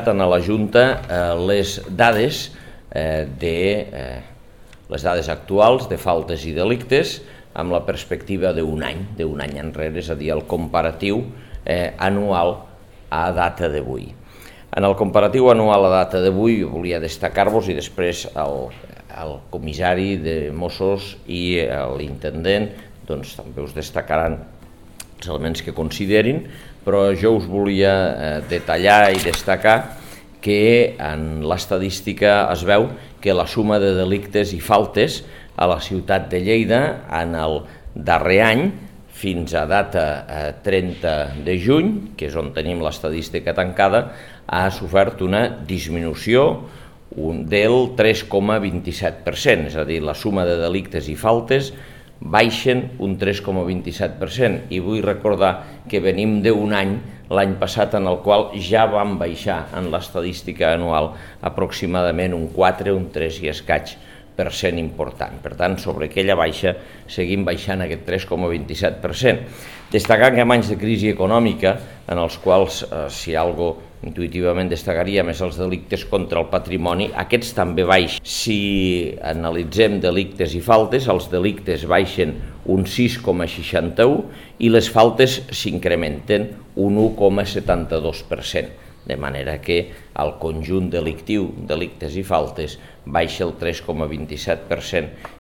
presentat a la Junta les dades actuals de faltes i delictes amb la perspectiva d'un any enrere, és a dir, el comparatiu anual a data d'avui. En el comparatiu anual a data d'avui volia destacar-vos, i després el comissari de Mossos i l'intendent també us destacaran els elements que considerin, però jo us volia detallar i destacar que en l'estadística es veu que la suma de delictes i faltes a la ciutat de Lleida en el darrer any, fins a data 30 de juny, que és on tenim l'estadística tancada, ha sofert una disminució del 3,27%, és a dir, la suma de delictes i faltes baixen un 3,27%, i vull recordar que venim d'un any, l'any passat, en el qual ja vam baixar en l'estadística anual aproximadament un 4, un 3 i escaig % important. Per tant, sobre aquella baixa seguim baixant aquest 3,27%. Destacant que en anys de crisi econòmica, en els quals, si algo intuïtivament destacaríem, és els delictes contra el patrimoni, aquests també baixen. Si analitzem delictes i faltes, els delictes baixen un 6,61 i les faltes s'incrementen un 1,72%. De manera que el conjunt delictiu, delictes i faltes, baixa el 3,27%,